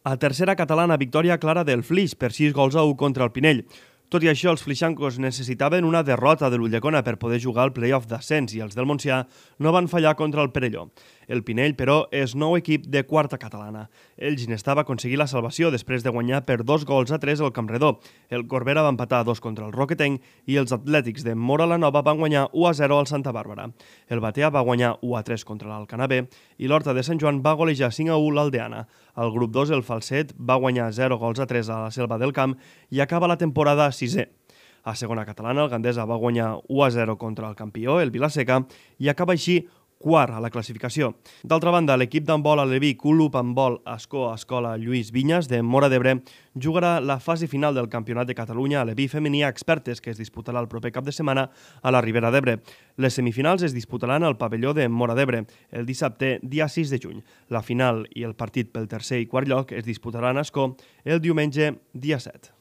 A tercera catalana, victòria clara del Flix per 6-1 contra el Pinell. Tot i això, els flixancos necessitaven una derrota de l'Ulldecona per poder jugar al play-off d'ascens i els del Montsià no van fallar contra el Perelló. El Pinell, però, és nou equip de quarta catalana. El Ginestà va aconseguir la salvació després de guanyar per 2-3 al Campredó. El Corbera va empatar 2 contra el Roquetenc i els Atlètics de Móra la Nova van guanyar 1-0 al Santa Bàrbara. El Batea va guanyar 1-3 contra l'Alcanavè i l'Horta de Sant Joan va golejar 5-1 l'Aldeana. Al grup 2, el Falset va guanyar 0-3 a la Selva del Camp i acaba la temporada 6è. A segona catalana, el Gandesa va guanyar 1-0 contra el campió, el Vilaseca, i acaba així quart a la classificació. D'altra banda, l'equip d'handbol aleví Club Handbol Ascó Escola Lluís Vinyes de Móra d'Ebre jugarà la fase final del Campionat de Catalunya aleví femení a expertes que es disputarà el proper cap de setmana a la Ribera d'Ebre. Les semifinals es disputaran al pavelló de Móra d'Ebre el dissabte, dia 6 de juny. La final i el partit pel tercer i quart lloc es disputaran a Ascó el diumenge, dia 7.